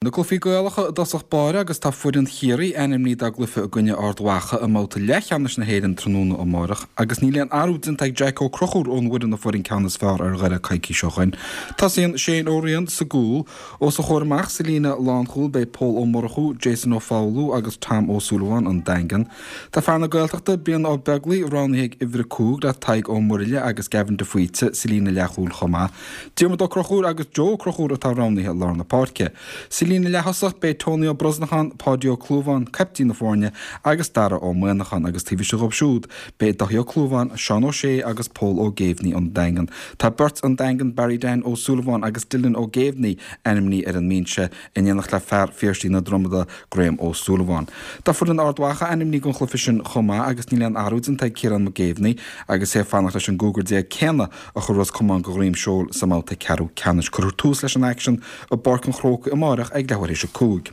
Na cluichí Gaelacha i dtosach báire agus tá foireann Chiarraí ainmnithe dá gcluiche i gcoinne Ard Mhacha i mbabhta leathcheannais na hÉireann tráthnóna amárach agus níl aon athrú déanta ag Jack Ó Conchúir ón bhfoireann a fuair an ceann is fearr ar Dhoire coicís ó shoin. Tosaíonn Shane Ó Riain sa gcúl. Os a chomhair amach sa líne lánchúil beidh Pól Ó Murchú, Jason Ó Foghlú agus Tom Ó Súilleabháin, An Daingean. Tá fear na Gaeltachta, Brian Ó Beaglaoi, roghnaithe ag uimhir 5 le Tadhg Ó Murlaigh agus Gavin de Faoite sa líne leathchúil chomh maith. Diarmuid Ó Conchúir agus Joe Ó Conchúir atá roghnaithe i lár na páirce. Sa líne leath-thosach beidh Tony Ó Brosnacháin, Páidí Ó Clúmháin, caiptín na foirne, agus Dara Ó Muimhneacháin agus taobh istigh dhóibh siúd beidh Daithí Ó Clúmháin, Seán Ó Sé agus Pól Ó Géibhní ón Daingean. Tá beirt ón Daingean, Barry Dan Ó Súilleabháin agus Dylan Ó Géibhní, ainmnithe ar an mbinse. in éineacht le fear Phiarsaigh na Dromoda, Graham Ó Súilleabháin. Tá foireann Ard Mhacha ainmnithe don chluiche sin chomh maith agus níl aon athrú déanta ag Ciarán Mac Géibheannaigh agus é ag fanacht leis an gcúigear céanna a chuir Ros Comáin de dhroim seoil sa mbabhta ceathrú ceannais. Cuirfear tús leis an aicsean i bPáirc an Chrócaigh amáireach ag leathuair théis 5.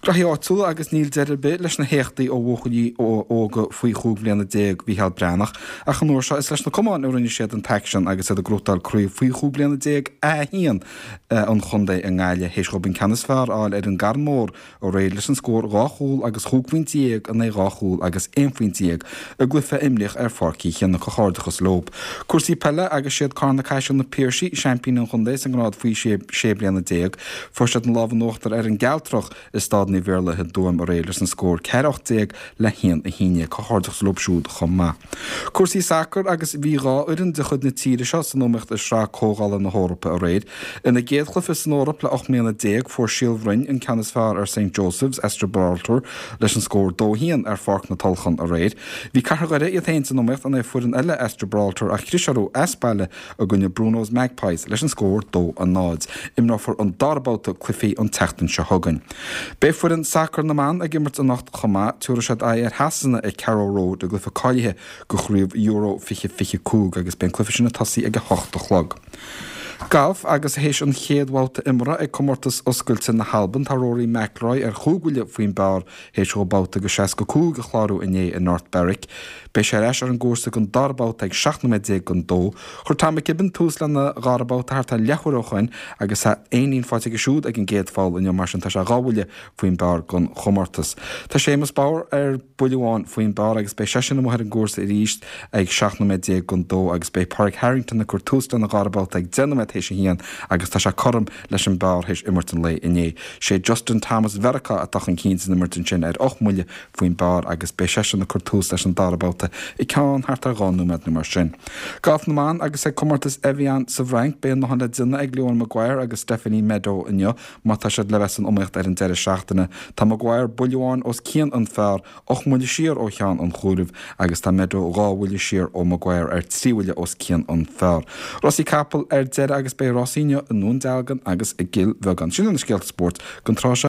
Graithí áitiúla agus níl deireadh ar bith leis na héachtaí ó bhuachaillí óga faoi 15 bhliana Mhícheál Breathnach ach an uair seo is leis na camáin a rinne siad an t-aicsean agus iad ag gnóthachtáil craobh faoi 15 bliana A1 an chontae i nGaillimh théis dhóibh an ceann is fearr a fháil ar an gCarn Mór aréir leis an scór 2 chúl agus chúig phointe dhéag in aghaidh 2 chúl agus 11 phointe i gcluiche a imríodh ar Pháirc Uí Chionnaith. Comhghairdeachas leo. Cúrsaí peile agus siad Carna Caiseal Na Piarsaigh seaimpíní an chontae sa ngrád faoi 16 bliana. Fuair siad an lámh in uachtar ar an gCealtrach i Staid Naomh Iarlaith i dTuaim aréir leis an scór 4 18 le 1 11. Comhghairdeachas leo siúd chomh maith. Cúrsaí sacair agus bhí 2 fhoireann de chuid na tíre seo san iomaíocht i Sraith Comhdhála na hEorpa aréir. Ina gcéad chluiche san Eoraip le 18 mbliana fuair Síol Bhroin an ceann is fearr ar St Joseph's as Gibraltar leis an scór 2 1 ar Pháirc na Tulchann aréir. Bhí Cathair Dhoire iad féin san iomaíocht in aghaidh foireann eile as Gibraltar ach chlis orthu as baile i gcoinne Bruno's Magpies leis an scór 2 0. Imreofar an dara babhta cluichí an tseachtain seo chugainn. Beidh foireann sacair na mban ag imirt anocht chomh maith. Tabharfaidh siad aghaidh ar Shasana ag Carrow Road i gcluiche cáilithe do chraobh Euro 2025 agus beidh an cluiche sin ag tosaí ag 8 a chlog. Galf agus théis an chéad bhabhta imeartha ag Comórtas Oscailte na hAlban tá Rory McIlroy ar chúig bhuille faoin bpar théis dhó babhta de 65 a chlárú inné i North Berwick. Beidh sé ar ais ar an gcúrsa don dara babhta ag 17 nóiméad don dó. Chuir Tom McKibbin tús lena dhara babhta thart ar leathuair ó shoin agus tá éinín faighte aige siúd ag an gcéad pholl inniu mar sin tá sé dhá bhuille faoin bpar don chomórtas. Tá Séamus Power ar buille amháin faoin bpar agus beidh seisean amuigh ar an gcúrsa arís ag 17 nóiméad don dó agus beidh Pádraig Harrington ag cur tús lena dhara babhta ag 10 nóiméad théis a haon agus tá sé cothrom leis an bpar théis imirt an lae inné. Sé Justin Thomas Mheiriceá atá chun cinn san imirt ansin ar ocht mbuille faoin bpar agus beidh seisean ag cur tús leis an dara babhta i gceann thart ar 2 nóiméad nó mar sin. Galf na mban agus ag comórtas Evian sa bhFrainc beidh a ndóthain le déanamh ag Leona Maguire agus Stephanie Meadow inniu má tá siad le bheith san iomaíocht ar an deireadh seachtaine. Tá Maguire buille amháin os cionn an phar, ocht mbuille siar ó cheann an chomhairimh agus tá Meadow 2 bhuille siar ó Maguire ar 3 bhuille os cionn an phar. Rásaí capall ar deireadh agus beidh rásaí inniu i nDún Dealgan agus i gCill Bheagáin. Sin iad na scéalta spóirt don tráth seo.